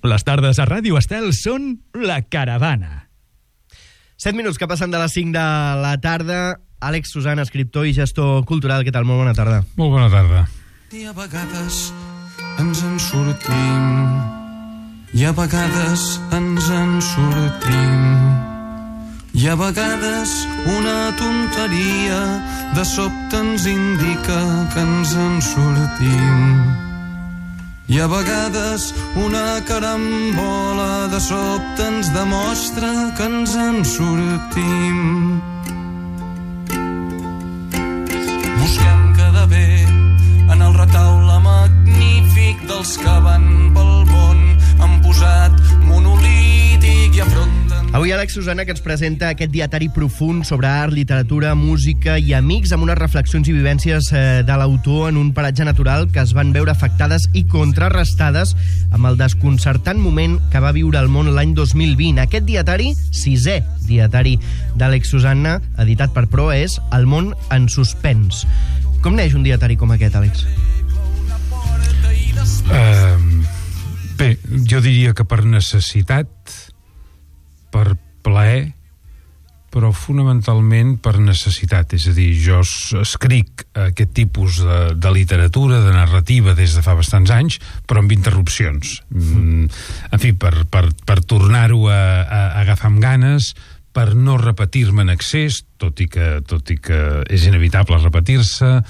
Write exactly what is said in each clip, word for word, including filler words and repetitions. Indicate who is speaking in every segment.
Speaker 1: Les tardes a Ràdio Estel són La Caravana.
Speaker 2: Set minuts que passen de les cinc de la tarda. Àlex Susana, escriptor i gestor cultural. Què tal? Molt bona tarda.
Speaker 3: Molt bona tarda.
Speaker 4: I a vegades ens en sortim, i a vegades ens en sortim, i a vegades una tonteria de sobte ens indica que ens en sortim. I a vegades una carambola de sobte ens demostra que ens en sortim. Busquem quedar bé en el retaule magnífic dels que van pel món, han posat monolític i afronten...
Speaker 2: Avui Àlex Susana, que ens presenta aquest dietari profund sobre art, literatura, música i amics, amb unes reflexions i vivències eh, de l'autor en un paratge natural que es van veure afectades i contrarrestades amb el desconcertant moment que va viure el món l'any dos mil vint. Aquest dietari, sisè dietari d'Àlex Susana, editat per Pro, és El món en suspens. Com neix un dietari com aquest, Àlex?
Speaker 3: Uh, bé, jo diria que per necessitat, per plaer, però fonamentalment per necessitat. És a dir, jo escric aquest tipus de, de literatura, de narrativa, des de fa bastants anys, però amb interrupcions. Mm, en fi, per, per, per tornar-ho a, a, a agafar amb ganes, per no repetir-me en excés, tot i que, tot i que és inevitable repetir-se,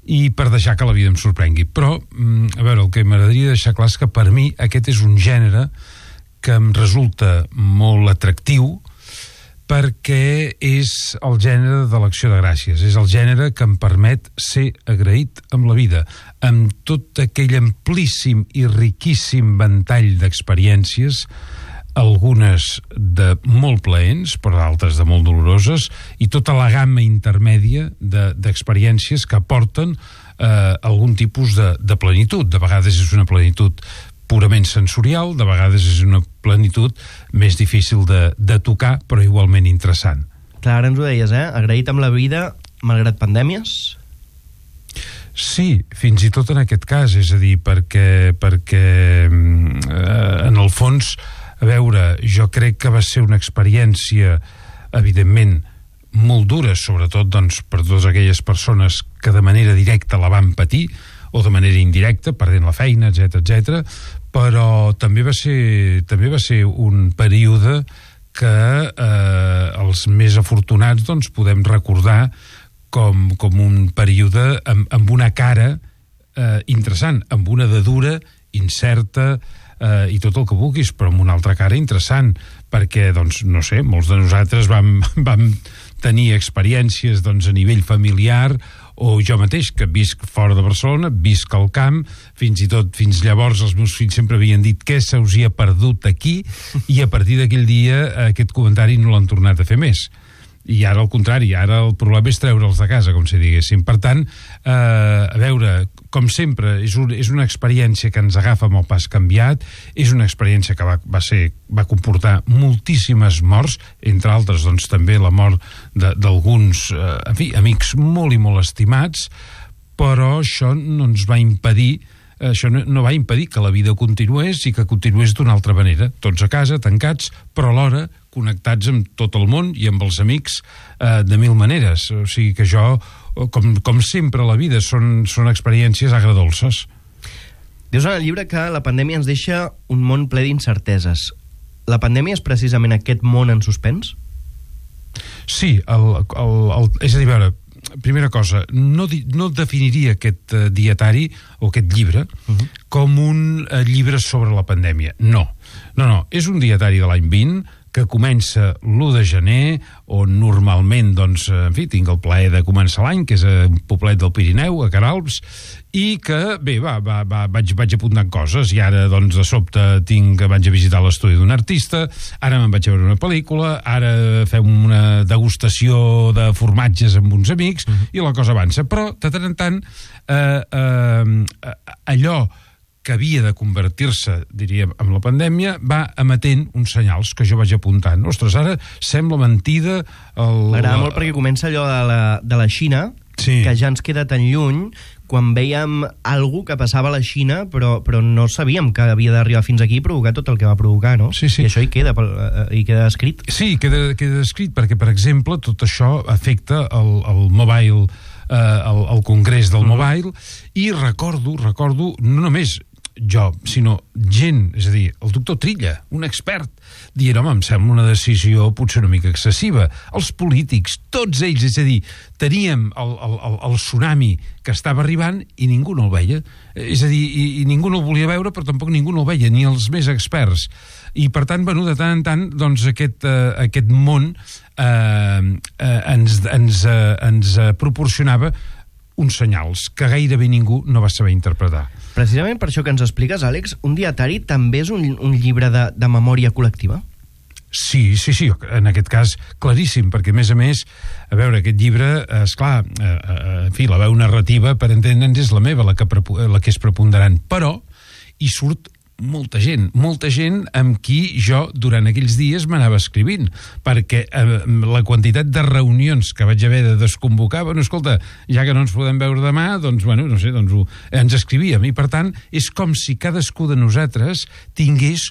Speaker 3: i per deixar que la vida em sorprengui. Però, a veure, el que m'agradaria deixar clar és que per mi aquest és un gènere que em resulta molt atractiu perquè és el gènere de l'acció de gràcies, és el gènere que em permet ser agraït amb la vida, amb tot aquell amplíssim i riquíssim ventall d'experiències, algunes de molt plaents, però d'altres de molt doloroses, i tota la gamma intermèdia de, d'experiències que aporten eh, algun tipus de, de plenitud. De vegades és una plenitud purament sensorial, de vegades és una plenitud més difícil de, de tocar, però igualment interessant.
Speaker 2: Clar, ara ens ho deies, eh? Agraït amb la vida, malgrat pandèmies?
Speaker 3: Sí, fins i tot en aquest cas, és a dir, perquè, perquè eh, en el fons, a veure, jo crec que va ser una experiència, evidentment, molt dura, sobretot doncs, per totes aquelles persones que de manera directa la van patir, o de manera indirecta, perdent la feina, etcètera, etcètera, però també va ser, també va ser un període que eh, els més afortunats doncs, podem recordar com, com un període amb, amb una cara eh, interessant, amb una de dura, incerta, eh, i tot el que vulguis, però amb una altra cara interessant, perquè, doncs, no sé, molts de nosaltres vam, vam tenir experiències doncs, a nivell familiar, o jo mateix, que visc fora de Barcelona, visc al camp, fins i tot fins llavors els meus fills sempre havien dit què se us hi ha perdut aquí, i a partir d'aquell dia aquest comentari no l'han tornat a fer més. I ara al contrari, ara el problema és treure'ls de casa, com si diguéssim. Per tant, eh, a veure, com sempre, és, un, és una experiència que ens agafa amb el pas canviat, és una experiència que va, va, ser, va comportar moltíssimes morts, entre altres, doncs, també la mort d'alguns, eh, en fi, amics molt i molt estimats, però això no ens va impedir això no, no va impedir que la vida continués i que continués d'una altra manera, tots a casa, tancats, però alhora connectats amb tot el món i amb els amics eh, de mil maneres. O sigui que jo, com, com sempre a la vida, són, són experiències agredolces.
Speaker 2: Dius en el llibre que la pandèmia ens deixa un món ple d'incerteses. La pandèmia és precisament aquest món en suspens?
Speaker 3: Sí, el, el, el, és a dir, a veure, primera cosa, no, di, no definiria aquest uh, dietari o aquest llibre uh-huh. com un uh, llibre sobre la pandèmia. No, no, no, és un dietari de l'any vint que comença l'u de gener, on normalment, doncs, en fi, tinc el plaer de començar l'any, que és a un poblet del Pirineu, a Queralbs, i que, bé, va, va, va, vaig, vaig apuntant coses, i ara, doncs, de sobte tinc, vaig a visitar l'estudi d'un artista, ara me'n vaig a veure una pel·lícula, ara fem una degustació de formatges amb uns amics, uh-huh. i la cosa avança. Però, de tant en tant, eh, eh, allò que havia de convertir-se, diríem, amb la pandèmia, va emetent uns senyals que jo vaig apuntant. Ostres, ara sembla mentida... El...
Speaker 2: M'agrada molt perquè comença allò de la, de la Xina, sí. que ja ens queda tan lluny, quan vèiem algú que passava a la Xina, però, però no sabíem que havia d'arribar fins aquí i provocar tot el que va provocar, no?
Speaker 3: Sí, sí.
Speaker 2: I això hi queda, hi queda escrit.
Speaker 3: Sí, queda, queda escrit, perquè, per exemple, tot això afecta el, el mobile, eh, el, el congrés del mobile, i recordo, recordo, no només jo, sinó gent, és a dir, el doctor Trilla, un expert, dient, home, em sembla una decisió potser una mica excessiva. Els polítics, tots ells, és a dir, teníem el, el, el, el tsunami que estava arribant i ningú no el veia. És a dir, i, i ningú no el volia veure, però tampoc ningú no el veia, ni els més experts. I, per tant, bueno, de tant en tant, doncs, aquest, eh, aquest món eh, eh, ens, ens, eh, ens eh, proporcionava uns senyals que gairebé ningú no va saber interpretar.
Speaker 2: Precisament per això que ens expliques, Àlex, un dietari també és un, un llibre de, de memòria col·lectiva?
Speaker 3: Sí, sí, sí, en aquest cas claríssim, perquè a més a més, a veure, aquest llibre, esclar, eh, eh, en fi, la veu narrativa, per entendre'ns, és la meva, la que, la que és preponderant, però hi surt molta gent, molta gent amb qui jo durant aquells dies m'anava escrivint, perquè eh, la quantitat de reunions que vaig haver de desconvocar, bueno, escolta, ja que no ens podem veure demà, doncs, bueno, no sé, doncs ho, ens escrivíem, i per tant és com si cadascú de nosaltres tingués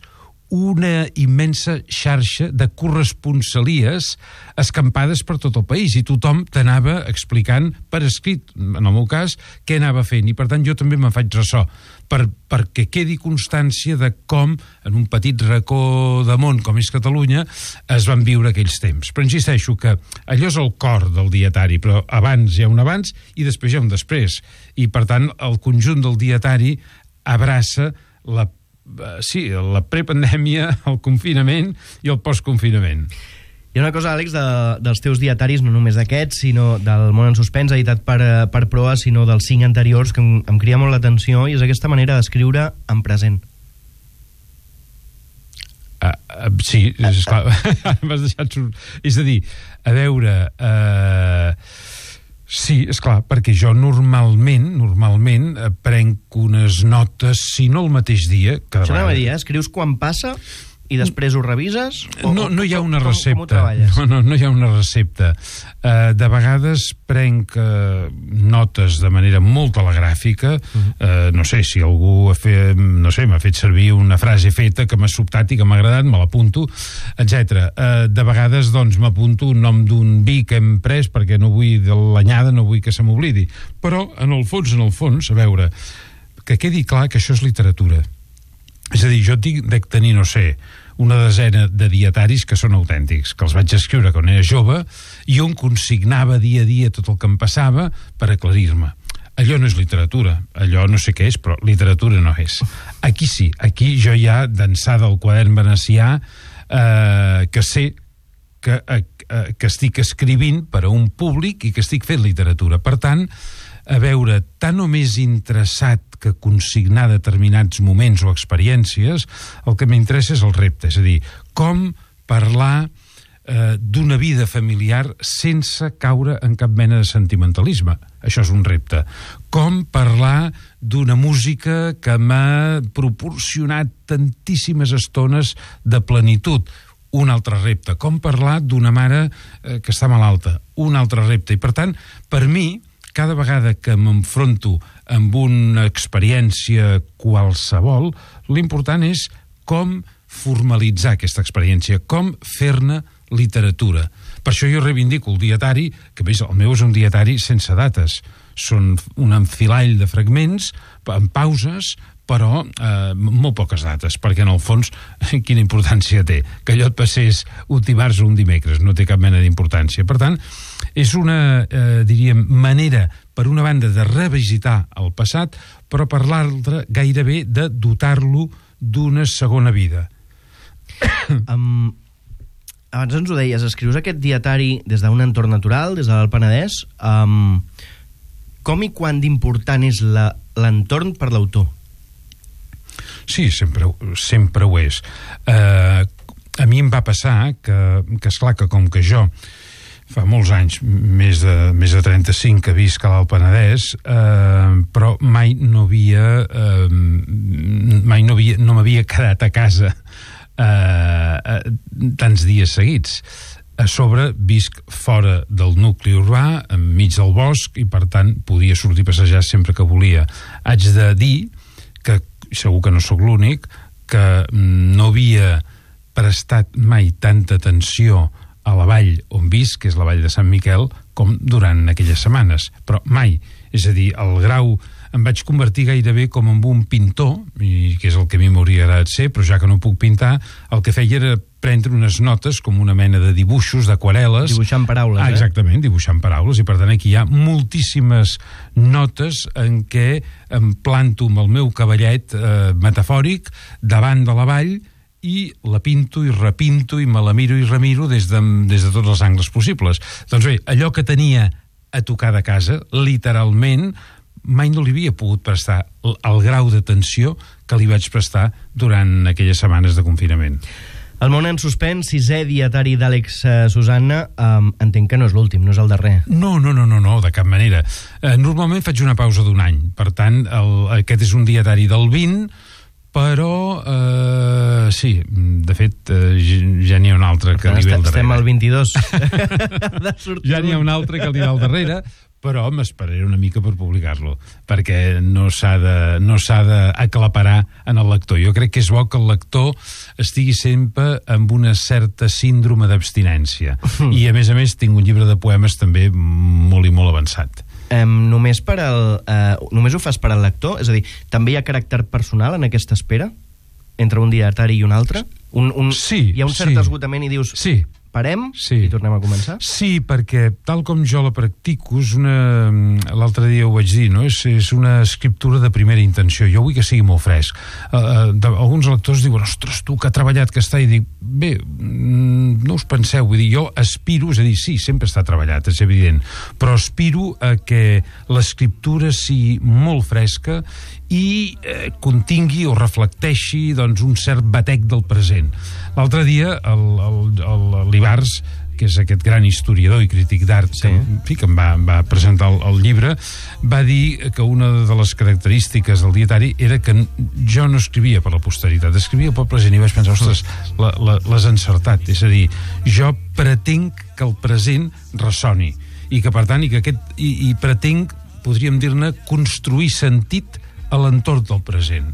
Speaker 3: una immensa xarxa de corresponsalies escampades per tot el país, i tothom t'anava explicant per escrit, en el meu cas, què anava fent, i per tant jo també me'n faig ressò, per, perquè quedi constància de com, en un petit racó de món com és Catalunya, es van viure aquells temps. Però insisteixo que allò és el cor del dietari, però abans hi ha un abans i després hi ha un després, i per tant el conjunt del dietari abraça la sí, la prepandèmia, el confinament i el postconfinament.
Speaker 2: Hi ha una cosa, Àlex, de, dels teus dietaris, no només d'aquests, sinó del Món en Suspens, editat per, per Proa, sinó dels cinc anteriors, que em, em crida molt l'atenció, i és aquesta manera d'escriure en present.
Speaker 3: Uh, uh, sí, és clar, m'has deixat... És a dir, a veure... Uh, sí, és clar, perquè jo normalment, normalment prenc unes notes, si no el mateix dia... Que
Speaker 2: Això anava a dir, eh? Escrius quan passa i després ho revises? O,
Speaker 3: no, no hi ha una
Speaker 2: com,
Speaker 3: recepta.
Speaker 2: Com ho treballes?
Speaker 3: No, no, no hi ha una recepta. Uh, de vegades prenc uh, notes de manera molt telegràfica. Uh-huh. uh, no sé, si algú ha fet, no sé, m'ha fet servir una frase feta que m'ha sobtat i que m'ha agradat, me l'apunto, etcètera. Uh, de vegades, doncs, m'apunto un nom d'un vi que hem pres perquè no vull de l'anyada, no vull que se m'oblidi. Però, en el fons, en el fons, a veure, que quedi clar que això és literatura. És a dir, jo tinc de tenir, no sé, una desena de dietaris que són autèntics, que els vaig escriure quan era jove, i on consignava dia a dia tot el que em passava per aclarir-me. Allò no és literatura, allò no sé què és, però literatura no és. Aquí sí, aquí jo ja, d'ençà del quadern venecià, eh, que sé que, eh, que estic escrivint per a un públic i que estic fent literatura. Per tant, a veure, tan o més interessat que consignar determinats moments o experiències, el que m'interessa és el repte, és a dir, com parlar eh, d'una vida familiar sense caure en cap mena de sentimentalisme. Això és un repte. Com parlar d'una música que m'ha proporcionat tantíssimes estones de plenitud. Un altre repte. Com parlar d'una mare eh, que està malalta. Un altre repte. I per tant, per mi, cada vegada que m'enfronto amb una experiència qualsevol, l'important és com formalitzar aquesta experiència, com fer-ne literatura. Per això jo reivindico el dietari, que a més el meu és un dietari sense dates. Són un enfilall de fragments, amb pauses, però eh, molt poques dates, perquè en el fons quina importància té? Que allò et passés un dimarts o un dimecres, no té cap mena d'importància. Per tant, és una, eh, diríem, manera, per una banda, de revisitar el passat, però per l'altra, gairebé de dotar-lo d'una segona vida.
Speaker 2: Um, abans ens ho deies, escrius aquest dietari des d'un entorn natural, des de l'Alt Penedès. Um, com i quan d'important és la, l'entorn per l'autor?
Speaker 3: Sí, sempre, sempre ho és. Uh, a mi em va passar que, que esclar, que com que jo fa molts anys, més de, més de trenta-cinc que visc a l'Alt Penedès, eh, però mai no havia eh, mai no havia, no m'havia quedat a casa eh, eh, tants dies seguits. A sobre visc fora del nucli urbà, enmig del bosc, i per tant podia sortir a passejar sempre que volia. Haig de dir que, segur que no sóc l'únic, que no havia prestat mai tanta atenció a la vall on visc, que és la vall de Sant Miquel, com durant aquelles setmanes, però mai. És a dir, el grau... Em vaig convertir gairebé com en un pintor, i que és el que a mi m'hauria agradat ser, però ja que no puc pintar, el que feia era prendre unes notes com una mena de dibuixos, d'aquarel·les.
Speaker 2: Dibuixant paraules,
Speaker 3: ah, exactament, eh? dibuixant paraules, i per tant aquí hi ha moltíssimes notes en què em planto amb el meu cavallet eh, metafòric davant de la vall i la pinto i repinto i me la miro i remiro des de, des de tots els angles possibles. Doncs bé, allò que tenia a tocar de casa, literalment, mai no li havia pogut prestar el, el grau d'atenció que li vaig prestar durant aquelles setmanes de confinament.
Speaker 2: El món en suspens, sisè dietari d'Àlex eh, Susanna, um, entenc que no és l'últim, no és el darrer.
Speaker 3: No, no, no, no, no, de cap manera. Eh, normalment faig una pausa d'un any, per tant, el, aquest és un dietari del vint, però eh, sí, de fet eh, ja n'hi ha un altre que li ve al darrere.
Speaker 2: Estem al vint-i-dos.
Speaker 3: Ja n'hi ha un altre que li ve al darrere, però m'esperaré una mica per publicar-lo, perquè no s'ha de, no s'ha d'aclaparar en el lector. Jo crec que és bo que el lector estigui sempre amb una certa síndrome d'abstinència. Mm. I, a més a més, tinc un llibre de poemes també molt i molt avançat.
Speaker 2: Um, només, per al, uh, només ho fas per al lector? És a dir, també hi ha caràcter personal en aquesta espera? Entre un dietari i un altre? Un, un,
Speaker 3: sí,
Speaker 2: hi ha un cert
Speaker 3: sí.
Speaker 2: esgotament i dius...
Speaker 3: Sí.
Speaker 2: Parem
Speaker 3: sí.
Speaker 2: i tornem a començar?
Speaker 3: Sí, perquè tal com jo la practico, és una... l'altre dia ho vaig dir, no? És, és una escriptura de primera intenció. Jo vull que sigui molt fresc. Uh, de, alguns lectors diuen, ostres, tu que ha treballat, que està... I dic, bé, no us penseu, vull dir, jo aspiro, és a dir, sí, sempre està treballat, és evident, però aspiro a que l'escriptura sigui molt fresca i eh, contingui o reflecteixi doncs, un cert batec del present. L'altre dia, l'Ibars, que és aquest gran historiador i crític d'art, sí. que, que em va, em va presentar el, el llibre, va dir que una de les característiques del dietari era que jo no escrivia per la posteritat, escrivia pel present, i vaig pensar, ostres, l'has encertat. És a dir, jo pretenc que el present ressoni, i que per tant, i que aquest, i, i pretenc, podríem dir-ne, construir sentit a l'entorn del present,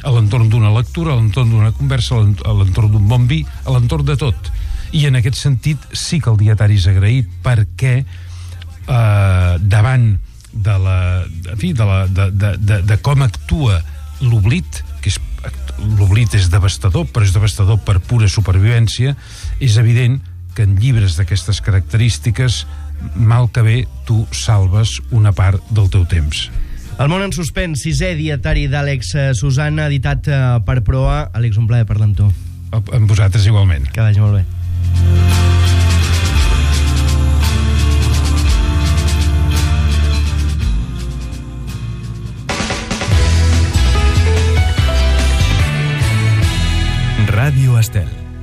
Speaker 3: a l'entorn d'una lectura, a l'entorn d'una conversa, a l'entorn d'un bon vi, a l'entorn de tot. I en aquest sentit sí que el dietari és agraït, perquè eh, davant de la, en fi, de, la, de, de, de, de com actua l'oblit, que és, l'oblit és devastador, però és devastador per pura supervivència, és evident que en llibres d'aquestes característiques, mal que bé, tu salves una part del teu temps.
Speaker 2: El món en suspens, sisè dietari d'Àlex Susanna, editat per Proa. Àlex, un plaer parlar amb tu.
Speaker 3: Amb vosaltres igualment.
Speaker 2: Que vagi molt bé.
Speaker 1: Ràdio Estel.